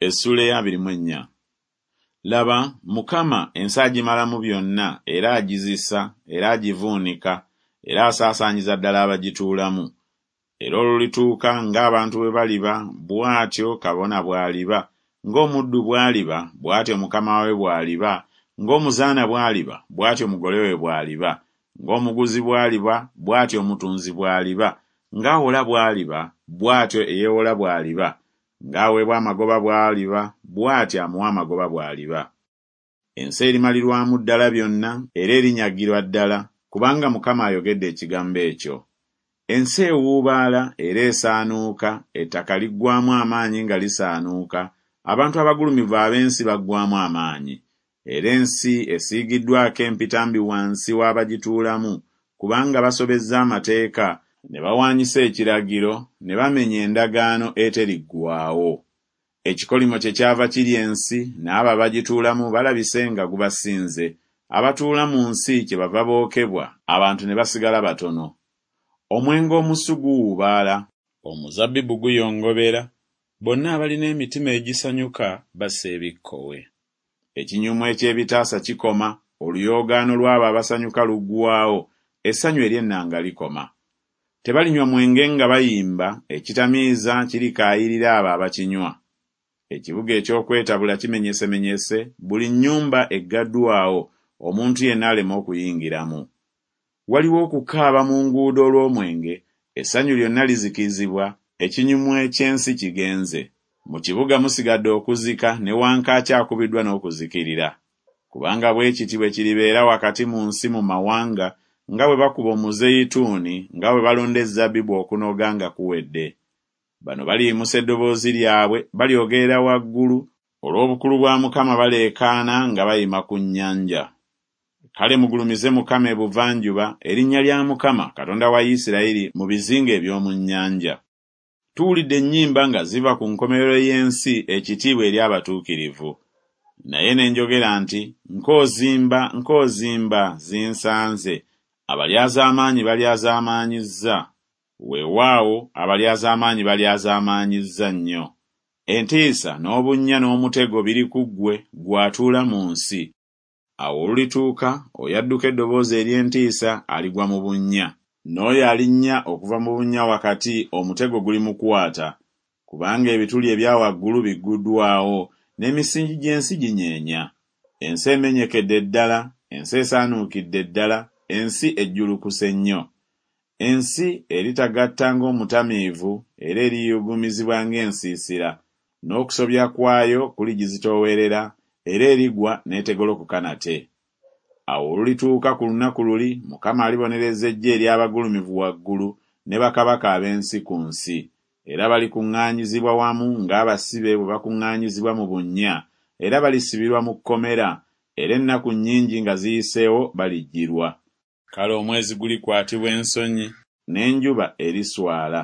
Essuula ey'abiri mu ennya. Laba, Mukama ensi agimalamu byonna, era agizisa, era agivuunika, era asaasaanyiza ddala abagituulamu. Era olulituuka ng'abantu bwe baliba, bw'atyo kabona bw'aliba, ng'omuddu bw'aliba, bw'atyo mukama we bw'aliba, ng'omuzaana bw'aliba, bw'atyo mugole we bw'aliba, ng'omuguzi bw'aliba, bw'atyo omutunzi bw'aliba, ng'awola bw'aliba, bw'atyo eyeewola bw'aliba, Ng'aweebwa amagoba bw'aliba, bw'atyo amuwa amagoba bw'aliba. Ensi erimalirwamu ddala byonna, era erinyagirwa ddala, kubanga Mukama ayogedde ekigambo ekyo. Ensi ewuubaala era esaanuuka, ettaka liggwaamu amaanyi nga lisaanuuka, abantu abagulumivu ab'ensi baggwaamu amaanyi. Era ensi esiigiddwako empitambi wansi w'abagituulamu, kubanga basobezza amateeka, ne bawaanyisa ekiragiro, ne bamenya endagaano eteriggwaawo. Ekikolimo kyekyava kirya ensi, n'abo abagituulamu balabise nga gubasinze, abatuula mu nsi kyebava bookebwa, abantu ne basigala batono. Omwenge omusu guwuubaala, omuzabbibu guyongobera, bonna abalina emitima egisanyuka bassa ebikkowe. Ekinyumu eky'ebitaasa kikoma, oluyoogaano lw'abo abasanyuka luggwaawo, essanyu ery'ennanga likoma. Tebalinywa mwenge nga bayimba, ekitamiiza kirikaayirira abo abakinywa. Ekibuga eky'okwetabula kimenyesemenyese, buli nnyumba eggaddwawo, omuntu yenna aleme okuyingiramu. Waliwo okukaaba mu nguudo olw'omwenge, essanyu lyonna lizikizibwa, ekinyumu eky'ensi kigenze. Mu kibuga musigadde okuzika, ne wankaaki akubiddwa n'okuzikirira. Kubanga bwe kiti bwe kiribeera wakati mu nsi mu mawanga, nga bwe bakuba omuzeyituuni, nga bwe balonda ezzabbibu okunoga nga kuwedde. Bano baliyimusa eddoboozi lyabwe, balyogerera waggulu, olw'obukulu bwa Mukama baleekaana nga bayima ku nnyanja. Kale mugulumize Mukama ebuvanjuba, erinnya lya Mukama, Katonda wa Isirayiri, mu bizinga eby'omu nnyanja. Tuwulidde ennyimba nga ziva ku nkomerero y'ensi, ekitiibwa eri abatuukirivu. Naye ne njogera nti, Nkoozimba, nkoozimba, zinsanze, abalyazaamaanyi balyazaamaanyizza, weewaawo, abalyazaamaanyi balyazaamaanyizza nnyo. Entiisa n'obunnya n'omutego biri ku ggwe, ggwe atuula mu nsi. Awo olulituuka, oyo adduka eddoboozi ery'entiisa aligwa mu bunnya, n'oyo alinnya okuva mu bunnya wakati omutego gulimukwata, kubanga ebituli ebya waggulu bigguddwawo, n'emisingi gy'ensi ginyeenya. Ensi emenyekedde ddala, ensi esaanuukidde ddala, ensi ejjulukuse nnyo. Ensi eritagatta ng'omutamiivu, era eriyugumizibwa ng'ensiisira, n'okusobya kwayo kuligizitoowerera, era erigwa n'etegolokoka nate. Awo olulituuka ku lunaku luli, Mukama alibonereza eggye ery'abagulumivu waggulu, ne bakabaka ab'ensi ku nsi. Era balikuŋŋaanyizibwa wamu ng'abasibe bwe bakuŋŋaanyizibwa mu bunnya, era balisibirwa mu kkomera, era ennaku nnyingi nga ziyiseewo balijjirwa. Kale omwezi gulikwatibwa ensonyi, n'enjuba eriswala,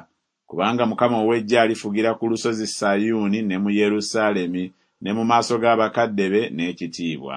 kubanga Mukama ow'eggye alifugira ku lusozi Sayuuni ne mu Yerusaalemi ne mu maaso g'abakadde be n'ekitiibwa.